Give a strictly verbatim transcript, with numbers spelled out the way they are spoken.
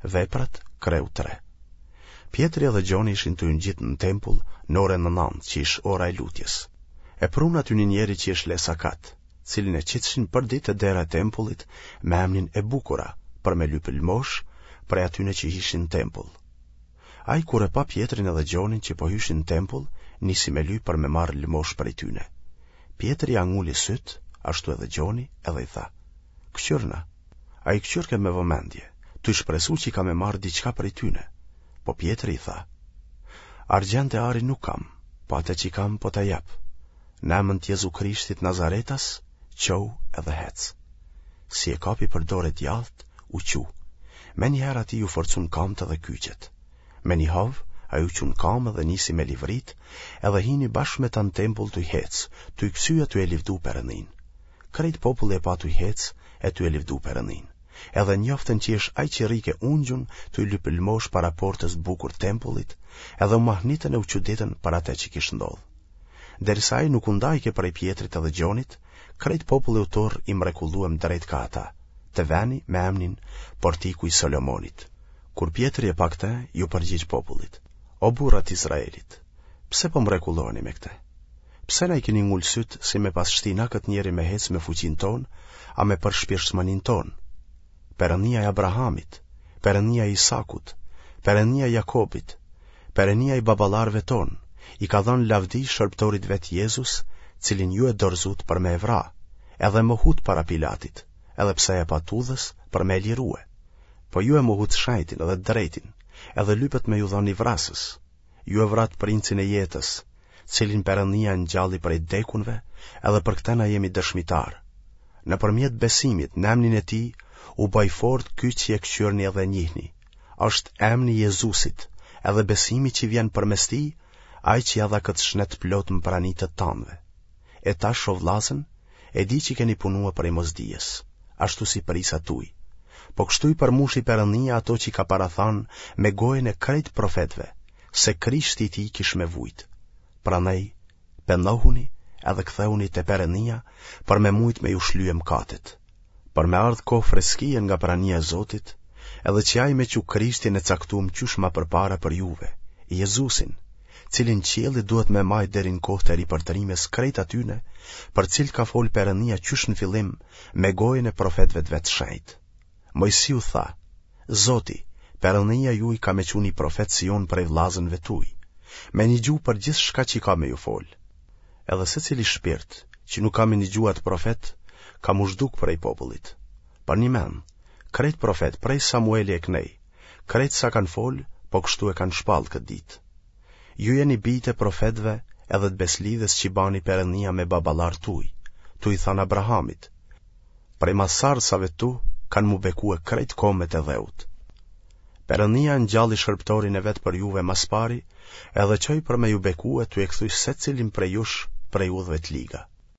Veprat, kreu tre. Pjetri edhe Gjoni ishin tuj u ngjitë në tempull në orën e nantë, që ish ora e lutjes. E prunë aty një njeri që ish lesakat, cilin e qitshin përditë te dera e tempullit me emnin e Bukura, për me lypë lëmoshë prej atyne që hishin në tempull. Ai kur e pa Pjetrin edhe Gjonin që po hyshin në tempull, nisi me lypë për me marrë lëmoshë prej tyne. Pjetri ia nguli sytë, ashtu edhe Gjoni, edhe i tha: Këqyrna. Ai këqyrke me vëmendje, tuj shpresu që ka me marrë diçka prej tyne. Po Pjetri i tha: Argjend e ari nuk kam, po atë që kam po ta jap. Në emën të Jezu Krishtit Nazaretas, çohu edhe hec. Si e kapi për dore djathtë, u çu. Menjëherë atij iu forcun kamët edhe kyçet. Me një hov, ai u çu në kamë dhe nisi me livrit, edhe hini bashkë me ta në tempull tuj hec, tuj kcy e tuj e livdu Perëndinë. Krejt populli e pa tuj hec e tuj e livdu Perëndinë. Edhe njoftën që ish ai që rrike ungjun tuj lypë lëmoshë para portës bukur tempullit, edhe u mahnitën e u çuditën për atë që kish ndodhë. Derisa ai nuk u ndajke prej Pjetrit edhe Gjonit, krejt populli u turr i mrekulluem drejt ka ata, te veni me emnin Portiku i Solomonit. Kur Pjetri e pa këtë, iu përgjigj popullit: O burra të Izraelit, pse po mrekulloheni me këtë? Pse na i keni ngulë sytë si me pas shti na këtë njeri me hecë me fuqinë tonë, a me përshpirtshmëninë tonë? Perëndia e Abrahamit, Perëndia e Isakut, Perëndia e Jakobit, Perëndia i baballarëve tonë, i ka dhënë lavdi shërbëtorit vet Jezus, cilin ju e dorëzut për me e vra, edhe e mohut para Pilatit, edhe pse e pa t'udhës për me e lirue. Po ju e mohut shenjtin edhe të drejtin, edhe lypët me ju dhanë një vrasës. Ju e vratë princin e jetës, cilin Perëndia e ngjalli prej t'dekunve, edhe për këtë na jemi dëshmitarë. Nëpërmjet besimit në emnin e tij u bë i fortë ky që e këqyrni edhe e njihni. Është emni i Jezusit, edhe besimi që vjen përmes tij, ai që ia dha këtë shnet të plotë në prani të tanëve. E tash, o vllazën, e di që keni punue prej mosdijes, ashtu si prijsat tuj. Po kështu i përmushi Perëndia ato që i ka parathanë me gojën e krejt profetëve, se Krishti i tij kish me vujt. Prandaj, pendohuni edhe kthehuni te Perëndia për me mujt me ju shlye mëkatet, për me ardhë kohë freskie nga prania e Zotit, edhe që ai me çu Krishtin e caktum qysh ma përpara për juve, Jezusin, cilin qielli duhet me majt deri në kohë të ripërtërimës krejt atyne, për cilët ka folë Perëndia qysh në fillim me gojën e profetëve të vet shenjtë. Moisiu tha: Zoti, Perëndia juj ka me çu një profet si unë prej vllazënve tuj, me nigju për gjithçka që ka me ju folë. Edhe secili shpirt, që nuk ka me nigju atë profet, ka m'u zhduk prej popullit. Përnjëmend, krejt profet prej Samueli e kënej, krejt sa kanë folë, po kështu e kanë shpallë këtë ditë. Ju jeni bijtë e profetëve edhe të beslidhjes që bani Perëndia me baballarët tuj, tuj i thanë Abrahamit: Prej masarësave tu kanë m'u bekue krejt kombet e dheut. Perëndia e ngjalli shërbëtorin e vet për juve mas pari, edhe çoi për me ju bekue tuj e kthy secilin prej jush prej udhëve të liga.